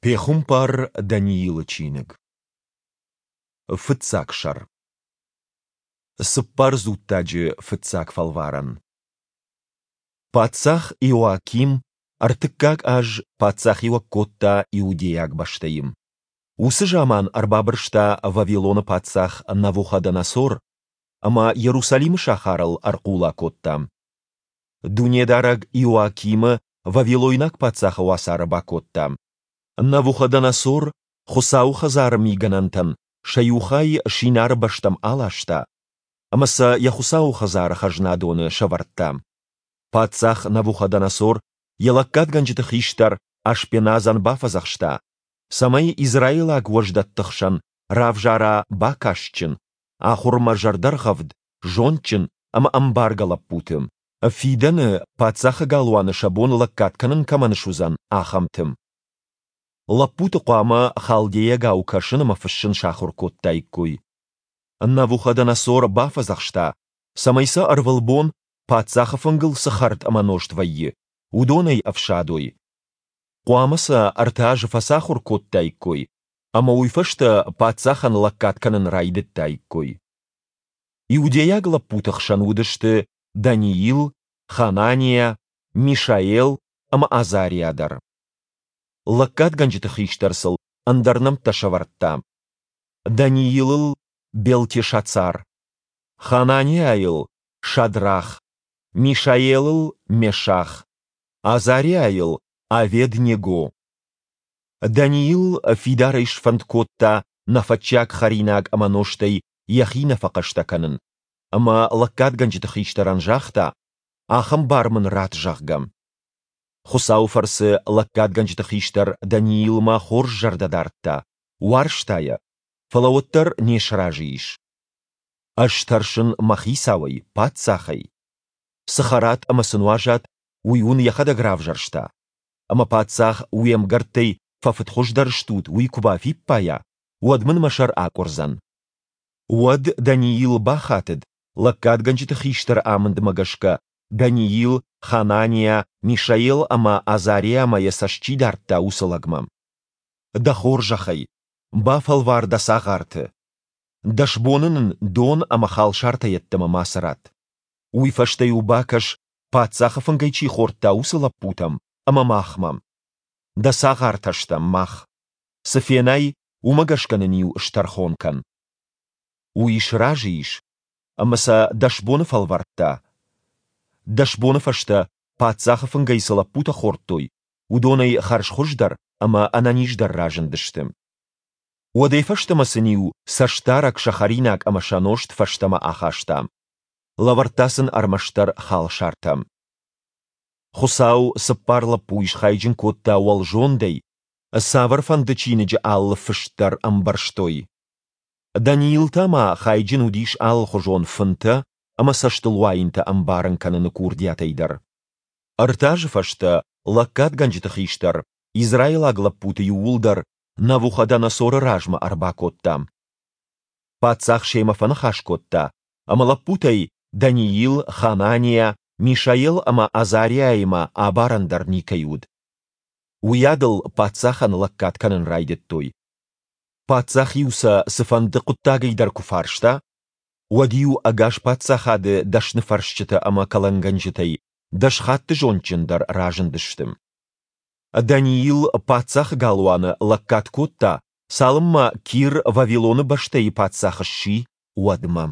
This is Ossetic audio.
Пехуымпар Даниилы чиныг. Фыццаг сӕр. Цыппар дзуттаджы фыццаг фӕлварӕн. Паддзах Иоаким ӕртыккаг аз паддзахиуӕг кодта иудейаг бӕстӕйы. Уыцы заман ӕрбабырста Вавилоны паддзах Навуходоносор ӕмӕ Иерусалимы сахарыл ӕрхъула кодта. Дунедарӕг Иоакимы вавилойнаг паддзахы уацары бакодта. Навуходоносор Хуыцауы хӕдзары мигӕнӕнтӕн сӕ иу хай Шинары бӕстӕм аласта ӕмӕ сӕ йӕ Хуыцауы хӕдзары хӕзнадоны сӕвӕрдта. Паддзах Навуходоносор йӕ лӕггадгӕнджыты хистӕр Ашпеназӕн бафӕдзӕхста, цӕмӕй израилаг уӕздӕтты хсӕн равзара бакастджын, ахуырмӕ зӕрдӕргъӕвд, зондджын ӕмӕ ӕмбаргӕ лӕппуты, фидӕны паддзахы галуаны сӕ бон лӕггад кӕнын кӕмӕн суыдзӕн, ахӕмты. Лӕппуты хъуамӕ халдейагау кӕсын ӕмӕ фыссын сахуыр кодтаиккой. Навуходоносор бафӕдзӕхста, цӕмӕй сӕ ӕрвылбон, паддзахы фынгыл цы хӕрд ӕмӕ нозт вӕййы, уыдонӕй ӕфсадой. Хъуамӕ сӕ ӕртӕ азы фӕцахуыр кодтаиккой, ӕмӕ уый фӕстӕ паддзахӕн лӕггад кӕнын райдыдтаиккой. Иудейаг лӕппуты хсӕн уыдысты Даниил, Хананиа, Мишаел ӕмӕ Азариа дӕр. Лӕггадгӕнджыты хистӕр сыл ӕндӕр нӕмттӕ сӕвӕрдта: Даниилыл Белтешацар, Хананиайыл Шадрах, Мишаелыл Мешах, Азариайыл Авед-Него. Даниил фидарӕй сфӕнд кодта нӕфӕтчиаг хӕринаг ӕмӕ нозтӕй йӕхи нӕ фӕхъӕстӕ кӕнын, ӕмӕ лӕггадгӕнджыты хистӕрӕн загъта, ахӕм бар мын ратт, зӕгъгӕ. Хуыцауы фӕрцы лӕггадгӕнджыты хистӕр Даниилмӕ хорз зӕрдӕ дардта, уарзта йӕ, фӕлӕ уӕддӕр не сразы ис. Ӕз тӕрсын мӕ хицауӕй, паддзахӕй. Цы хӕрат ӕмӕ цы нуазат, уый уын йӕхӕдӕг равзӕрста. Ӕмӕ паддзах уе мгӕрттӕй фӕфыдхуыздӕр стут, уый куы бафиппайа, уӕд мын мӕ сӕр акъуырдзӕн. Уӕд Даниил бахатыд, лӕггадгӕнджыты хистӕры амындмӕ гӕсгӕ Даниил, Хананиа, Мишаел ӕмӕ Азариамӕ йӕ цӕст чи дардта, уыцы лӕгмӕ. Дӕ хорзӕхӕй, бафӕлвар дӕ цагъарты. Дӕс боны нын дон ӕмӕ халсартӕ йеддӕмӕ мацы ратт. Уый фӕстӕ-иу бакӕс, паддзахы фынгӕй чи хордта, уыцы лӕппутӕм ӕмӕ махмӕ. Дӕ цагъартӕ стӕм мах. Цы фенай, уымӕ гӕсгӕ нын-иу стӕрхон кӕн. Уый сразы ис, ӕмӕ сӕ дӕс боны фӕлвӕрдта. Дӕс боны фӕстӕ паддзахы фынгӕй цы лӕппутӕ хордтой, уыдонӕй хӕрзхуыздӕр ӕмӕ ӕнӕниздӕр разындысты. Уӕдӕй фӕстӕмӕ сын-иу цӕстдарӕг сӕ хӕринаг ӕмӕ сӕ нозт фӕстӕмӕ ахаста. Лӕвӕрдта сын ӕрмӕстдӕр халсартӕ. Хуыцау цыппар лӕппуйы схайджын кодта уӕлзондӕй, цавӕрфӕнды чиныджы алы фыст дӕр ӕмбӕрстой. Даниил та ма хайджын уыдис алыхуызон фынтӕ ӕмӕ цӕстылуайынтӕ ӕмбарын кӕныны курдиатӕй дӕр. Ӕртӕ азы фӕстӕ лӕггадгӕнджыты хистӕр израилаг лӕппуты иууылдӕр Навуходоносоры размӕ ӕрбакодта. Паддзах семӕ фӕныхас кодта, ӕмӕ лӕппутӕй Даниил, Хананиа, Мишаел ӕмӕ Азариаимӕ абарӕн дӕр никӕй уыд. Уыйадыл паддзахӕн лӕггад кӕнын райдыдтой. Паддзах-иу сӕ цыфӕнды хъуыддагӕй дӕр куы фарста, уӕд-иу ӕгас паддзахады дӕсныфӕрсджытӕ ӕмӕ кӕлӕнгӕнджытӕй дӕс хатты зондджындӕр разындысты. Даниил паддзахы галуаны лӕггад кодта, цалынмӕ Кир Вавилоны бӕстӕйы паддзах сси, уӕдмӕ.